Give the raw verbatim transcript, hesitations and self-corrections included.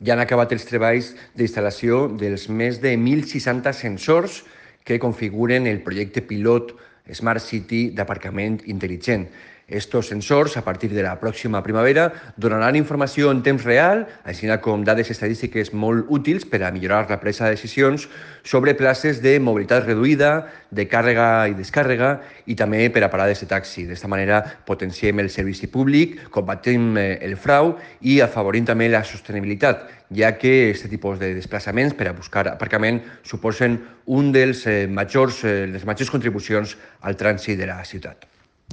ja han acabat els treballs d'instal·lació dels més de mil seixanta sensors que configuren el projecte pilot Smart City d'aparcament intel·ligent. Estos sensors, a partir de la pròxima primavera, donaran informació en temps real, així com dades estadístiques molt útils per a millorar la presa de decisions sobre places de mobilitat reduïda, de càrrega i descàrrega i també per a parades de taxi. D'esta manera potenciem el servici públic, combatem el frau i afavorim també la sostenibilitat, ja que aquest tipus de desplaçaments per a buscar aparcament suposen un dels majors, les majors contribucions al trànsit de la ciutat.